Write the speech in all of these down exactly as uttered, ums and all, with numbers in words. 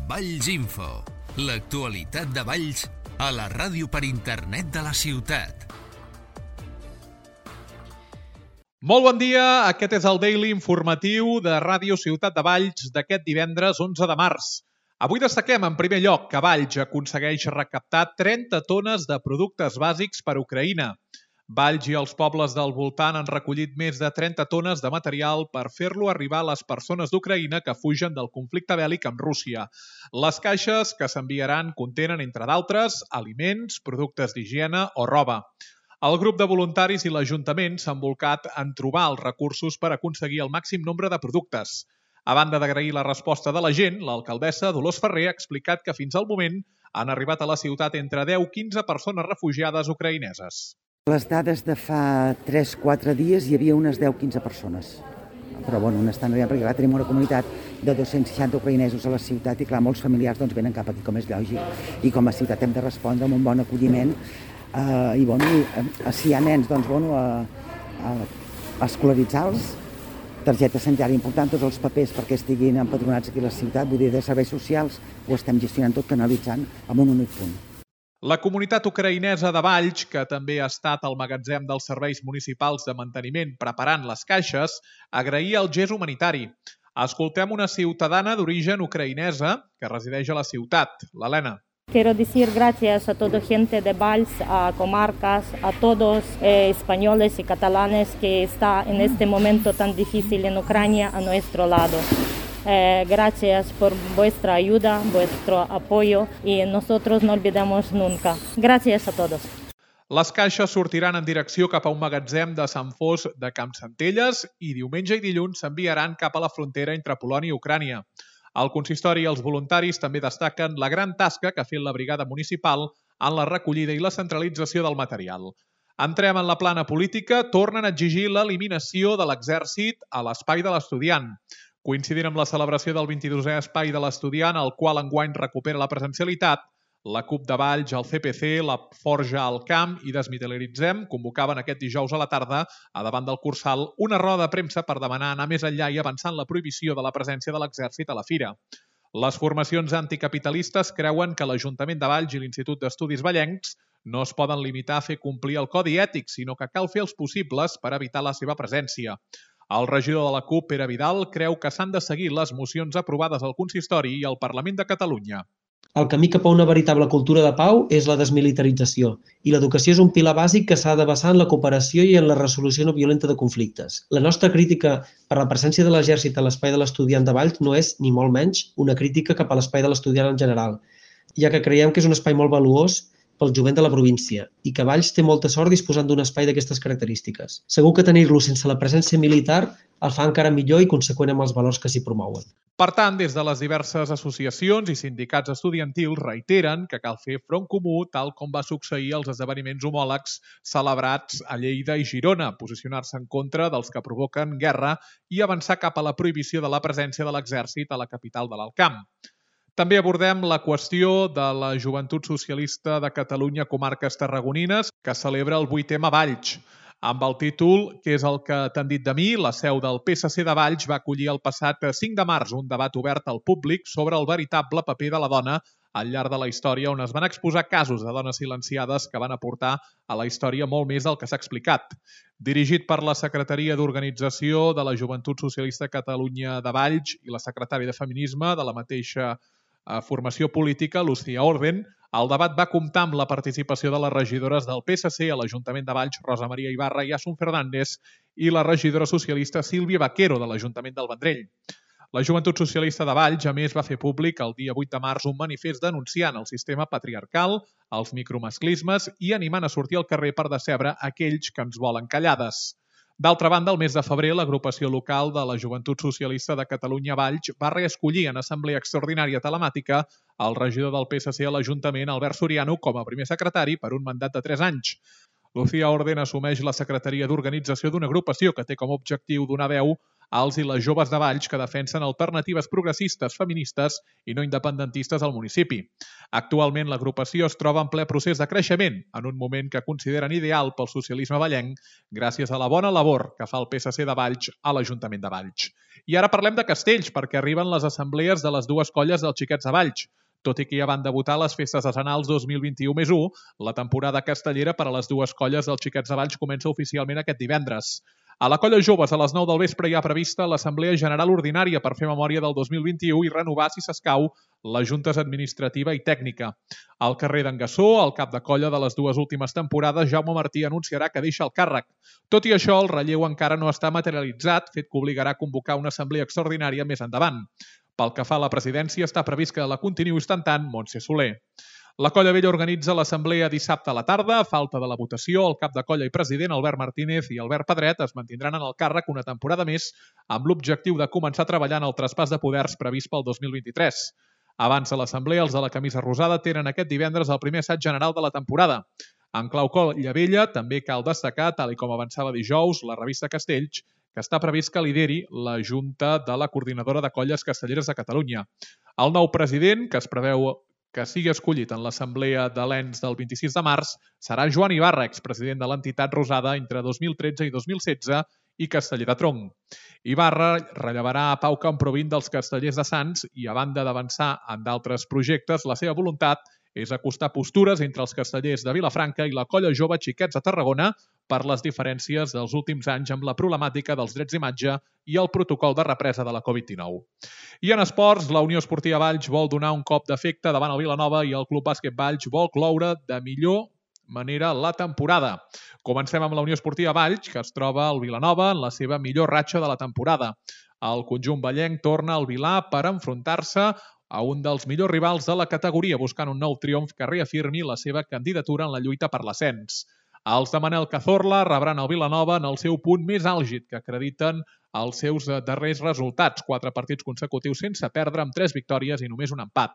Valls Info, l'actualitat de Valls a la ràdio per internet de la ciutat. Molt bon dia, aquest és el Daily informatiu de Ràdio Ciutat de Valls d'aquest divendres onze de març. Avui destaquem en primer lloc que Valls aconsegueix recaptar trenta tones de productes bàsics per Ucraïna. Valls i els pobles del voltant han recollit més de trenta tones de material per fer-lo arribar a les persones d'Ucraïna que fugen del conflicte bèl·lic amb Rússia. Les caixes que s'enviaran contenen, entre d'altres, aliments, productes d'higiene o roba. El grup de voluntaris i l'Ajuntament s'han bolcat en trobar els recursos per aconseguir el màxim nombre de productes. A banda d'agrair la resposta de la gent, l'alcaldessa Dolors Ferrer ha explicat que fins al moment han arribat a la ciutat entre deu i quinze persones refugiades ucraïneses. Les dades de fa tres o quatre dies hi havia unes deu o quinze persones. Però bueno, on estan arribant, perquè clar, tenim una comunitat de dos-cents seixanta ucraïnesos a la ciutat i clar, molts familiars doncs, venen cap aquí, com és lògic. I com a ciutat hem de respondre amb un bon acolliment. Uh, I bueno, i, si hi ha nens, doncs bueno, a, a, a escolaritzar-los, targeta sanitària important, tots els papers perquè estiguin empadronats aquí a la ciutat, vull dir, de serveis socials, ho estem gestionant tot, canalitzant amb un únic punt. La comunitat ucraïnesa de Valls, que també ha estat al magatzem dels serveis municipals de manteniment preparant les caixes, agraïa el gest humanitari. Escoltem una ciutadana d'origen ucraïnesa que resideix a la ciutat, l'Helena. Quiero decir gracias a toda gente de Valls, a comarcas, a todos eh, españoles y catalanes que están en este momento tan difícil en Ucrania a nuestro lado. Eh, gracias por vuestra ayuda, vuestro apoyo y nosotros no olvidemos nunca. Gracias a todos. Les caixes sortiran en direcció cap a un magatzem de Sant Fos de Campsentelles i diumenge i dilluns s'enviaran cap a la frontera entre Polònia i Ucrània. El consistori i els voluntaris també destaquen la gran tasca que ha fet la brigada municipal en la recollida i la centralització del material. Entrem en la plana política, tornen a exigir l'eliminació de l'exèrcit a l'espai de l'estudiant. Coincidint amb la celebració del vint-i-dosè espai de l'estudiant, el qual enguany recupera la presencialitat, la CUP de Valls, el C P C, la Forja al Camp i Desmilitaritzem convocaven aquest dijous a la tarda, a davant del Cursal, una roda de premsa per demanar anar més enllà i avançar en la prohibició de la presència de l'exèrcit a la fira. Les formacions anticapitalistes creuen que l'Ajuntament de Valls i l'Institut d'Estudis Vallencs no es poden limitar a fer complir el codi ètic, sinó que cal fer els possibles per evitar la seva presència. El regidor de la CUP, Pere Vidal, creu que s'han de seguir les mocions aprovades al consistori i al Parlament de Catalunya. El camí cap a una veritable cultura de pau és la desmilitarització i l'educació és un pilar bàsic que s'ha de basar en la cooperació i en la resolució no violenta de conflictes. La nostra crítica per la presència de l'exèrcit a l'espai de l'estudiant de Valls no és, ni molt menys, una crítica cap a l'espai de l'estudiant en general, ja que creiem que és un espai molt valuós pel jovent de la província i que Valls té molta sort disposant d'un espai d'aquestes característiques. Segur que tenir-lo sense la presència militar el fa encara millor i conseqüent amb els valors que s'hi promouen. Per tant, des de les diverses associacions i sindicats estudiantils reiteren que cal fer front comú tal com va succeir als esdeveniments homòlegs celebrats a Lleida i Girona, posicionar-se en contra dels que provoquen guerra i avançar cap a la prohibició de la presència de l'exèrcit a la capital de l'Alt Camp. També abordem la qüestió de la Joventut Socialista de Catalunya Comarques Tarragonines, que celebra el vuitè Valls. Amb el títol "Què és el que t'han dit de mi?", la seu del P S C de Valls va acollir el passat cinc de març un debat obert al públic sobre el veritable paper de la dona al llarg de la història, on es van exposar casos de dones silenciades que van aportar a la història molt més del que s'ha explicat. Dirigit per la Secretaria d'Organització de la Joventut Socialista de Catalunya de Valls i la secretària de Feminisme de la mateixa formació política, Lucía Orden, el debat va comptar amb la participació de les regidores del P S C a l'Ajuntament de Valls, Rosa Maria Ibarra i Asun Fernández, i la regidora socialista Sílvia Vaquero, de l'Ajuntament del Vendrell. La Joventut Socialista de Valls, a més, va fer públic el dia vuit de març un manifest denunciant el sistema patriarcal, els micromasclismes i animant a sortir al carrer per decebre aquells que ens volen callades. D'altra banda, el mes de febrer, l'agrupació local de la Joventut Socialista de Catalunya Valls va reescollir en assemblea extraordinària telemàtica el regidor del P S C a l'Ajuntament, Albert Soriano, com a primer secretari per un mandat de tres anys. Lucía Orden assumeix la secretaria d'organització d'una agrupació que té com a objectiu donar veu als i les joves de Valls que defensen alternatives progressistes, feministes i no independentistes al municipi. Actualment, l'agrupació es troba en ple procés de creixement, en un moment que consideren ideal pel socialisme vallenc gràcies a la bona labor que fa el P S C de Valls a l'Ajuntament de Valls. I ara parlem de Castells, perquè arriben les assemblees de les dues colles dels xiquets de Valls. Tot i que ja van debutar les festes arsenals dos mil vint-i-u més u, la temporada castellera per a les dues colles dels xiquets de Valls comença oficialment aquest divendres. A la Colla Joves, a les nou del vespre, hi ha prevista l'Assemblea General Ordinària per fer memòria del dos mil vint-i-u i renovar, si s'escau, les juntes administrativa i tècnica. Al carrer d'en Gassó, el cap de colla de les dues últimes temporades, Jaume Martí, anunciarà que deixa el càrrec. Tot i això, el relleu encara no està materialitzat, fet que obligarà a convocar una assemblea extraordinària més endavant. Pel que fa a la presidència, està previst que la continuï ostentant Montse Soler. La Colla Vella organitza l'assemblea dissabte a la tarda. A falta de la votació, el cap de colla i president, Albert Martínez i Albert Pedret, es mantindran en el càrrec una temporada més amb l'objectiu de començar a treballar en el traspàs de poders previst pel dos mil vint-i-tres. Abans de l'assemblea, els de la camisa rosada tenen aquest divendres el primer assaig general de la temporada. En clau Colla Vella també cal destacar, tal i com avançava dijous, la revista Castells, que està previst que lideri la Junta de la Coordinadora de Colles Castelleres de Catalunya. El nou president, que es preveu que sigui escollit en l'Assemblea de l'Ens del vint-i-sis de març, serà Joan Ibarra, expresident de l'entitat rosada entre dos mil tretze i dos mil setze i casteller de tronc. Ibarra rellevarà a Pau Camprovin dels Castellers de Sants i, a banda d'avançar en d'altres projectes, la seva voluntat és acostar postures entre els castellers de Vilafranca i la Colla Jove Xiquets de Tarragona per les diferències dels últims anys amb la problemàtica dels drets d'imatge i el protocol de represa de la covid dinou. I en esports, la Unió Esportiva Valls vol donar un cop d'efecte davant el Vilanova i el Club Bàsquet Valls vol cloure de millor manera la temporada. Comencem amb la Unió Esportiva Valls, que es troba al Vilanova en la seva millor ratxa de la temporada. El conjunt vallenc torna al Vilà per enfrontar-se a un dels millors rivals de la categoria, buscant un nou triomf que reafirmi la seva candidatura en la lluita per l'ascens. Els de Manel Cazorla rebran el Vilanova en el seu punt més àlgid, que acrediten els seus darrers resultats, quatre partits consecutius sense perdre, amb tres victòries i només un empat.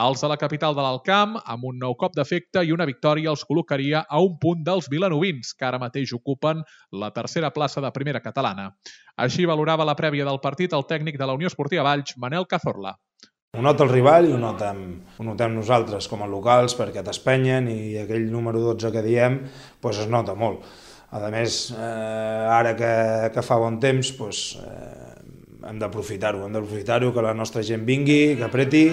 Els de la capital de l'Alt Camp, amb un nou cop d'efecte i una victòria, els col·locaria a un punt dels vilanovins, que ara mateix ocupen la tercera plaça de primera catalana. Així valorava la prèvia del partit el tècnic de la Unió Esportiva Valls, Manel Cazorla. Ho nota el rival i ho notem, ho notem nosaltres com a locals perquè t'espenyen i aquell número dotze que diem doncs es nota molt. A més, eh, ara que, que fa bon temps doncs, eh, hem d'aprofitar-ho, hem d'aprofitar-ho, que la nostra gent vingui, que apreti.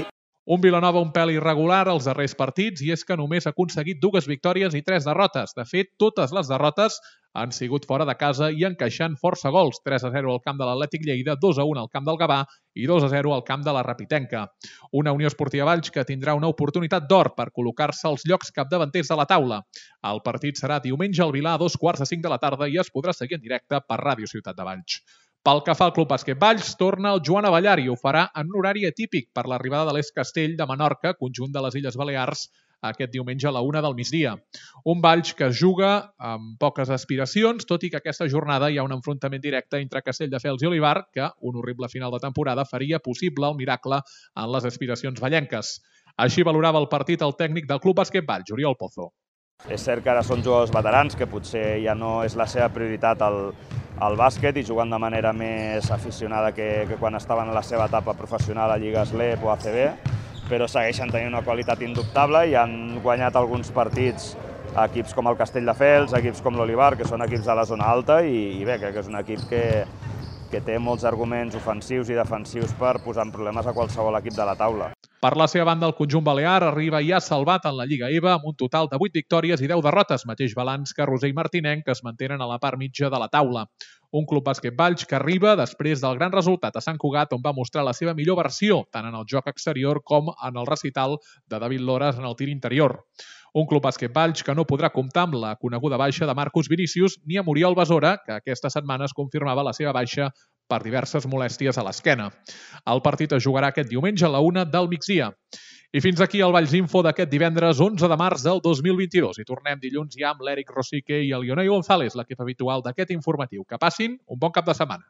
Un Vilanova un pèl irregular als darrers partits i és que només ha aconseguit dues victòries i tres derrotes. De fet, totes les derrotes han sigut fora de casa i encaixant força gols. tres a zero al camp de l'Atlètic Lleida, dos a un al camp del Gavà i dos a zero al camp de la Rapitenca. Una Unió Esportiva Valls que tindrà una oportunitat d'or per col·locar-se als llocs capdavanters de la taula. El partit serà diumenge al Vilà a dos quarts de cinc de la tarda i es podrà seguir en directe per Ràdio Ciutat de Valls. Pel que fa al Club Bàsquet Valls, torna el Joan Avellar i ho farà en un horari atípic per l'arribada de l'Es Castell de Menorca, conjunt de les Illes Balears, aquest diumenge a la una del migdia. Un Valls que es juga amb poques aspiracions, tot i que aquesta jornada hi ha un enfrontament directe entre Castelldefels i Olivar, que un horrible final de temporada faria possible el miracle en les aspiracions vallenques. Així valorava el partit el tècnic del Club Bàsquet Valls, Oriol Pozo. És cert que ara són jugadors veterans, que potser ja no és la seva prioritat al, al bàsquet i jugant de manera més aficionada que, que quan estaven a la seva etapa professional a Lligues L E P o A C B, però segueixen tenint una qualitat indubtable i han guanyat alguns partits a equips com el Castelldefels, equips com l'Olivar, que són equips de la zona alta i, i bé, crec que és un equip que, que té molts arguments ofensius i defensius per posar en problemes a qualsevol equip de la taula. Per la seva banda, el conjunt balear arriba ja salvat en la Lliga E V A amb un total de vuit victòries i deu derrotes, mateix balanç que Roser i Martinenc, que es mantenen a la part mitja de la taula. Un Club Bàsquet Valls que arriba després del gran resultat a Sant Cugat, on va mostrar la seva millor versió, tant en el joc exterior com en el recital de David Loras en el tir interior. Un Club Bàsquet Valls que no podrà comptar amb la coneguda baixa de Marcus Vinícius ni amb Oriol Besora, que aquesta setmana es confirmava la seva baixa per diverses molèsties a l'esquena. El partit es jugarà aquest diumenge a la una del migdia. I fins aquí el Valls Info d'aquest divendres onze de març del dos mil vint-i-dos. I tornem dilluns ja amb l'Eric Rosique i el Lionel González, l'equip habitual d'aquest informatiu. Que passin un bon cap de setmana.